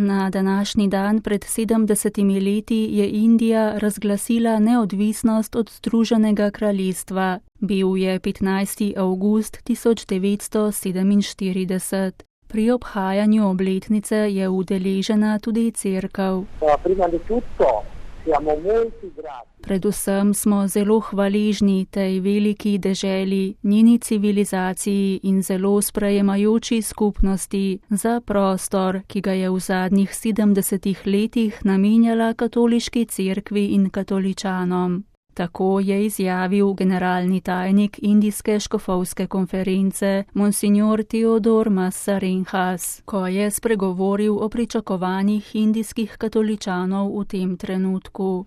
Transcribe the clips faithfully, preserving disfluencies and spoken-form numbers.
Na današnji dan pred sedemdesetimi leti je Indija razglasila neodvisnost od Združenega kraljestva. Bil je petnajsti avgust tisoč devetsto sedeminštirideset. Pri obhajanju obletnice je udeležena tudi cerkev. Predvsem smo zelo hvaležni tej veliki deželi, njeni civilizaciji in zelo sprejemajoči skupnosti za prostor, ki ga je v zadnjih sedemdesetih letih namenjala katoliški cerkvi in katoličanom. Tako je izjavil generalni tajnik Indijske škofovske konference Monsignor Theodor Massarenhas, ko je spregovoril o pričakovanjih indijskih katoličanov v tem trenutku.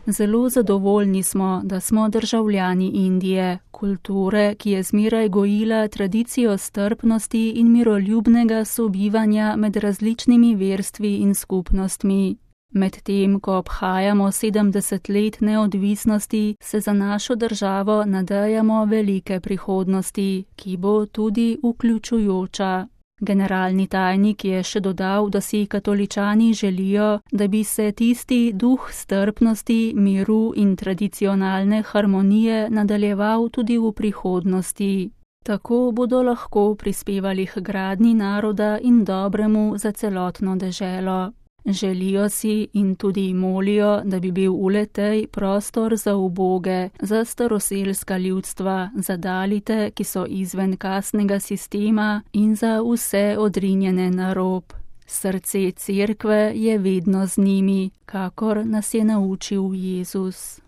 Zelo zadovoljni smo, da smo državljani Indije, kulture, ki je zmeraj gojila tradicijo strpnosti in miroljubnega sobivanja med različnimi verstvi in skupnostmi. Medtem, ko obhajamo sedemdeset let neodvisnosti, se za našo državo nadejamo velike prihodnosti, ki bo tudi vključujoča. Generalni tajnik je še dodal, da si katoličani želijo, da bi se tisti duh strpnosti, miru in tradicionalne harmonije nadaljeval tudi v prihodnosti. Tako bodo lahko prispevali k gradnji naroda in dobremu za celotno deželo. Želijo si in tudi molijo, da bi bil v le-tej prostor za uboge, za staroselska ljudstva, za dalite, ki so izven kastnega sistema in za vse odrinjene na rob. Srce cerkve je vedno z njimi, kakor nas je naučil Jezus.